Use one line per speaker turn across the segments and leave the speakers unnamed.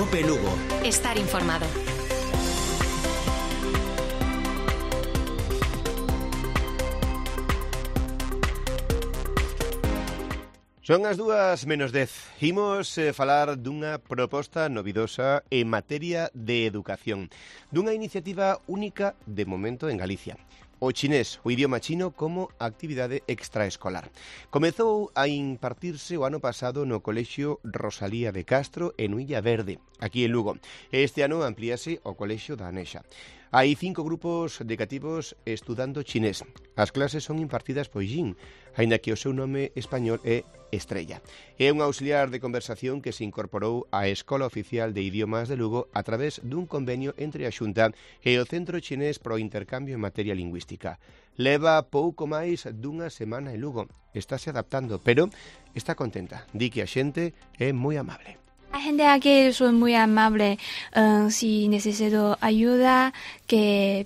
Cope Lugo.
Estar informado.
Son as 2:10. Imos falar dunha proposta novidosa en materia de educación, dunha iniciativa única de momento en Galicia. O chinés, o idioma chino como actividade extraescolar. Comezou a impartirse o ano pasado no Colexio Rosalía de Castro en Illa Verde, aquí en Lugo. Este ano amplíase ao Colexio da Anexa. Hai 5 grupos de cativos estudando chinés. As clases son impartidas por Jin, aínda que o seu nome español é Estrella. É un auxiliar de conversación que se incorporou á Escola Oficial de Idiomas de Lugo a través dun convenio entre a Xunta e o Centro Chinés pro Intercambio en Materia Lingüística. Leva pouco máis dunha semana en Lugo. Estáse adaptando, pero está contenta. Di que a xente é moi amable.
La gente aquí son muy amable. Si necesito ayuda, que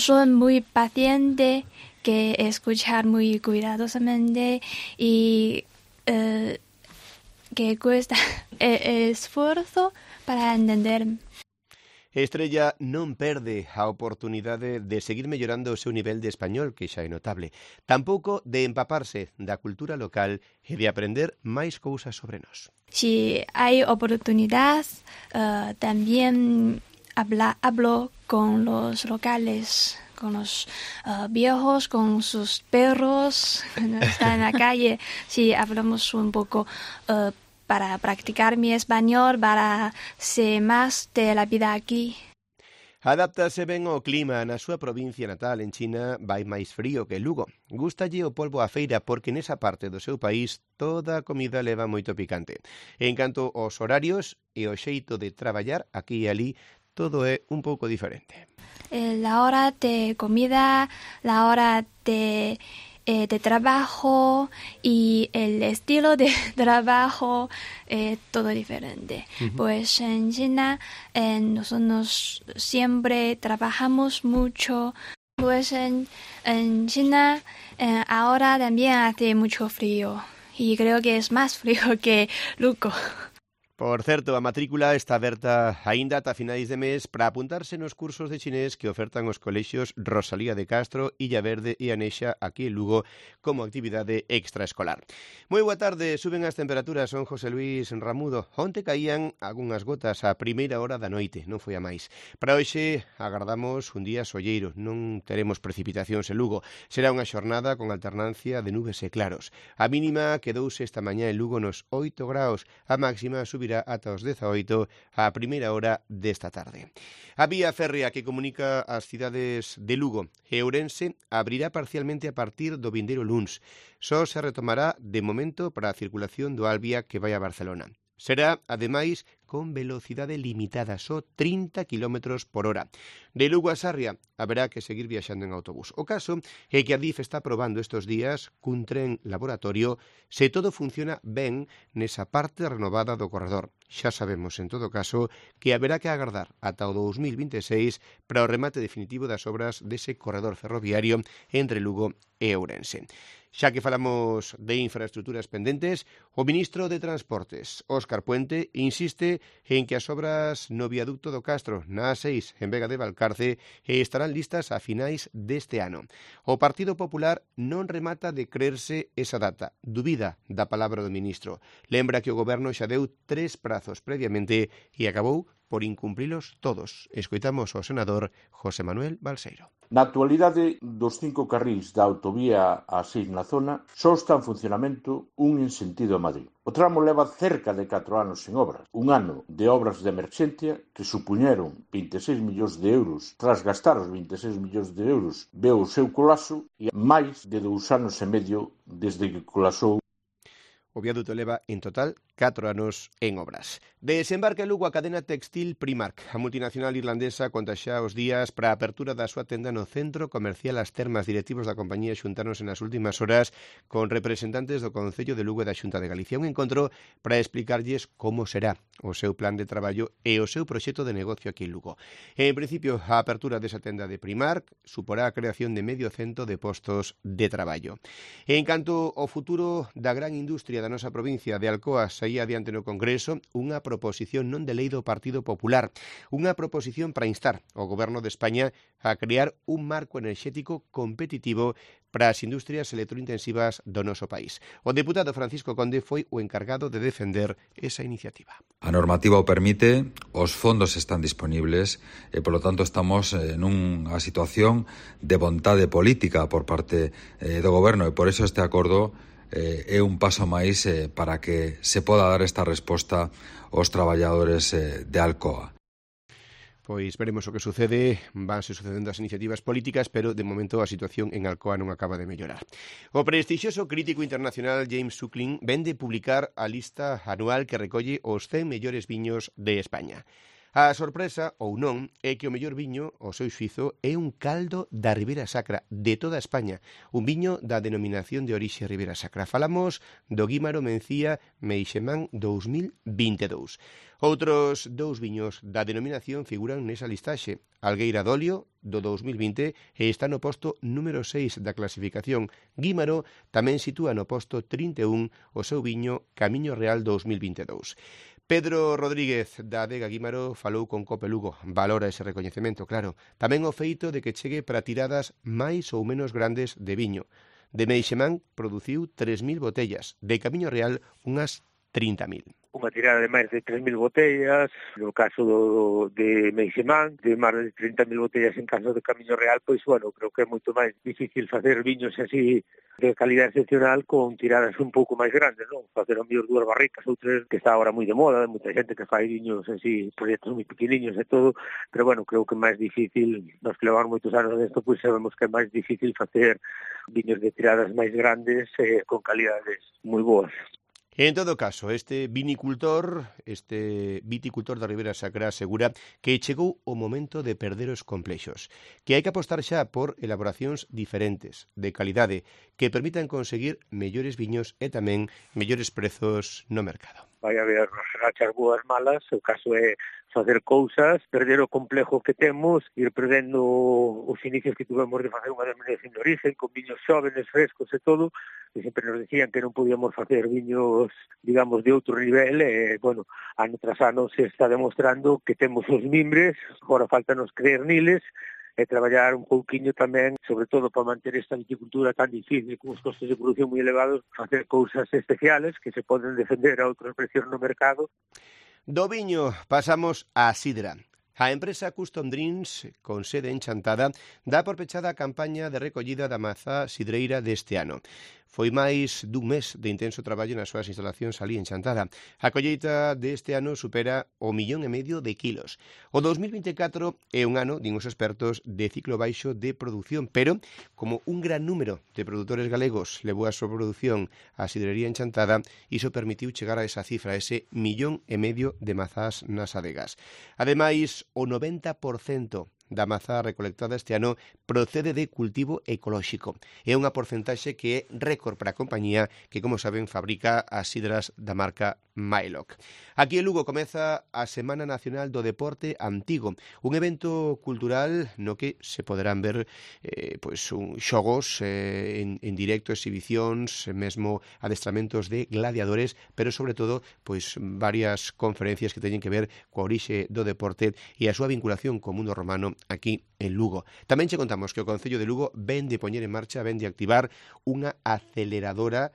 son muy pacientes, que escuchar muy cuidadosamente y que cuesta esfuerzo para entender.
Estrella non perde a oportunidade de seguir mellorando o seu nivel de español, que xa é notable, tampouco de empaparse da cultura local e de aprender máis cousas sobre nós.
Si hay oportunidad, también hablo con los locales, con los viejos, con sus perros, cuando están en la calle. Si hablamos un poco para practicar mi español, para ser más de la vida aquí.
Adáptase ben ao clima. Na súa provincia natal, en China, vai máis frío que Lugo. Gústalle o polvo á feira porque nesa parte do seu país toda a comida leva moito picante. En canto aos horarios e o xeito de traballar, aquí e ali, todo é un pouco diferente.
La hora de comida, la hora de trabajo y el estilo de trabajo todo diferente. Pues en China nosotros siempre trabajamos mucho. Pues en China ahora también hace mucho frío y creo que es más frío que Lugo.
Por certo, a matrícula está aberta aínda ata finais de mes para apuntarse nos cursos de chinés que ofertan os colexios Rosalía de Castro, Illa Verde e Anexa aquí en Lugo como actividade extraescolar. Moi boa tarde, suben as temperaturas, son José Luis Ramudo. Onte caían algunhas gotas a primeira hora da noite, non foi a máis. Para hoxe agardamos un día solleiro, non teremos precipitacións en Lugo. Será unha xornada con alternancia de nubes e claros. A mínima quedouse esta mañá en Lugo nos 8 graus, a máxima subirá ata os 18 a primeira hora desta tarde. A vía férrea que comunica as cidades de Lugo e Ourense abrirá parcialmente a partir do vindeiro luns. Só se retomará de momento para a circulación do Alvia que vai a Barcelona. Será, ademais, con velocidade limitada, só 30 km por hora. De Lugo a Sarria haberá que seguir viaxando en autobús. O caso é que a DIF está probando estes días cun tren laboratorio se todo funciona ben nesa parte renovada do corredor. Xa sabemos, en todo caso, que haberá que agardar ata o 2026 para o remate definitivo das obras dese corredor ferroviario entre Lugo e Ourense. Xa que falamos de infraestructuras pendentes, o ministro de Transportes, Óscar Puente, insiste en que as obras no viaducto do Castro, na A6, en Vega de Valcarce, estarán listas a finais deste ano. O Partido Popular non remata de creerse esa data, dubida da palabra do ministro. Lembra que o goberno xa deu 3 prazos previamente e acabou por incumprilos todos. Escoitamos ao senador José Manuel Balseiro.
Na actualidade, dos 5 carrís da autovía A6 na zona, só está en funcionamento un en sentido a Madrid. O tramo leva cerca de 4 anos sen obras. Un ano de obras de emerxencia que supuñeron 26 millóns de euros. Tras gastar os 26 millóns de euros, veo o seu colapso e máis de 2 anos e medio desde que colapsou.
O viaduto leva, en total, 4 anos en obras. Desembarca en Lugo a cadena textil Primark. A multinacional irlandesa conta xa os días para a apertura da súa tenda no centro comercial As Termas. Directivos da compañía xuntáronse nas últimas horas con representantes do Concello de Lugo e da Xunta de Galicia. Un encontro para explicarlles como será o seu plan de traballo e o seu proxecto de negocio aquí en Lugo. En principio, a apertura desa tenda de Primark suporá a creación de 500 de postos de traballo. En canto ao futuro da gran industria da nosa provincia de Alcoa saía adiante no Congreso unha proposición non de lei do Partido Popular, unha proposición para instar ao Goberno de España a crear un marco enerxético competitivo para as industrias electrointensivas do noso país. O deputado Francisco Conde foi o encargado de defender esa iniciativa.
A normativa o permite, os fondos están disponibles e, polo tanto, estamos nunha situación de vontade política por parte do Goberno e, por eso, este acordo é un paso máis para que se poda dar esta resposta aos traballadores de Alcoa.
Pois veremos o que sucede, vanse sucedendo as iniciativas políticas, pero de momento a situación en Alcoa non acaba de mellorar. O prestixioso crítico internacional James Suckling vende publicar a lista anual que recolle os 100 mellores viños de España. A sorpresa, ou non, é que o mellor viño, o seu xuízo, é un caldo da Ribera Sacra, de toda España. Un viño da denominación de orixe Ribera Sacra. Falamos do Guímaro Mencía Meixemán 2022. Outros dous viños da denominación figuran nesa listaxe. Algueira d'Olio, do 2020, e está no posto número 6 da clasificación. Guímaro tamén sitúa no posto 31 o seu viño Camiño Real 2022. Pedro Rodríguez, da adega Guímaro, falou con Cope Lugo. Valora ese recoñecemento, claro. Tamén o feito de que chegue para tiradas máis ou menos grandes de viño. De Meixemán produciu 3.000 botellas, de Camiño Real unhas 30.000.
Unha tirada de máis de 3.000 botellas, no caso de Meixemán, de máis de 30.000 botellas en caso de Camiño Real, pois, bueno, creo que é moito máis difícil facer viños así de calidad excepcional con tiradas un pouco máis grandes, non? Facer ao mellor 2 barricas ou 3, que está agora moi de moda, de moita xente que fai viños así, proxectos moi pequeniños e todo, pero, bueno, creo que é máis difícil, nos que levamos moitos anos desto, pois sabemos que é máis difícil facer viños de tiradas máis grandes con calidades moi boas.
En todo caso, este viticultor da Ribera Sacra asegura que chegou o momento de perder os complexos, que hai que apostar xa por elaboracións diferentes, de calidade, que permitan conseguir mellores viños e tamén mellores prezos no mercado.
Vai haber rachas boas malas, o caso é facer cousas, perder o complexo que temos, ir perdendo os inicios que tuvemos de facer unha denominación de origen, con viños xóvenes, frescos e todo, e sempre nos decían que non podíamos facer viños, digamos, de outro nivel, e, bueno, ano tras ano se está demostrando que temos os mimbres, agora faltanos creer niles, e traballar un pouquiño tamén, sobre todo para manter esta viticultura tan difícil, con os costos de produción moi elevados, facer cousas especiales que se poden defender a outros precios no mercado.
Do viño pasamos á sidra. A empresa Custom Drinks, con sede en Chantada, dá por pechada a campaña de recollida da mazá sidreira deste ano. Foi máis dun mes de intenso traballo nas súas instalacións ali en Chantada. A colleita deste ano supera o 1,5 millón de kilos. O 2024 é un ano, din os expertos, de ciclo baixo de produción, pero como un gran número de produtores galegos levou a súa produción á sidrería en Chantada, iso permitiu chegar a esa cifra, ese 1,5 millón de mazás nas adegas. Ademais, o 90% da mazá recolectada este ano procede de cultivo ecolóxico. É unha porcentaxe que é récord para a compañía que, como saben, fabrica as sidras da marca Maelok. Aquí en Lugo comeza a Semana Nacional do Deporte Antigo, un evento cultural no que se poderán ver xogos en directo, exhibicións, mesmo adestramentos de gladiadores, pero sobre todo varias conferencias que teñen que ver coa orixe do deporte e a súa vinculación co mundo romano aquí en Lugo. Tamén che contamos que o Concello de Lugo ven de poñer en marcha, ven de activar unha aceleradora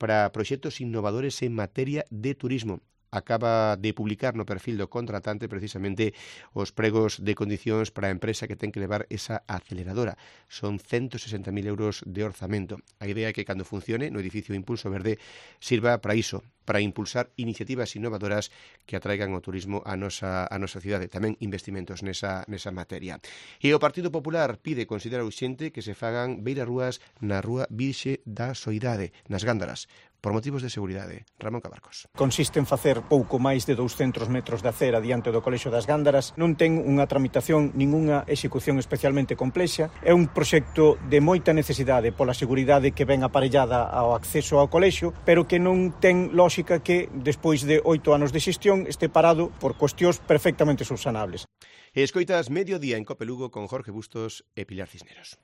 para proxectos innovadores en materia de turismo. Acaba de publicar no perfil do contratante precisamente os pregos de condicións para a empresa que ten que levar esa aceleradora. Son 160.000 euros de orzamento. A idea é que cando funcione no edificio Impulso Verde sirva para iso, para impulsar iniciativas innovadoras que atraigan o turismo a nosa cidade, tamén investimentos nesa materia. E o Partido Popular considera urxente que se fagan beirarrúas na Rúa Virxe da Soidade, nas Gándaras, por motivos de seguridade. Ramón Cabarcos.
Consiste en facer pouco máis de 200 metros de acera diante do Colexio das Gándaras. Non ten unha tramitación, ningunha execución especialmente complexa. É un proxecto de moita necesidade pola seguridade que ven aparellada ao acceso ao colexio, pero que non ten lógica que, despois de 8 anos de xestión, este parado por cuestións perfectamente subsanables.
Escoitas Mediodía en Cope Lugo con Jorge Bustos e Pilar Cisneros.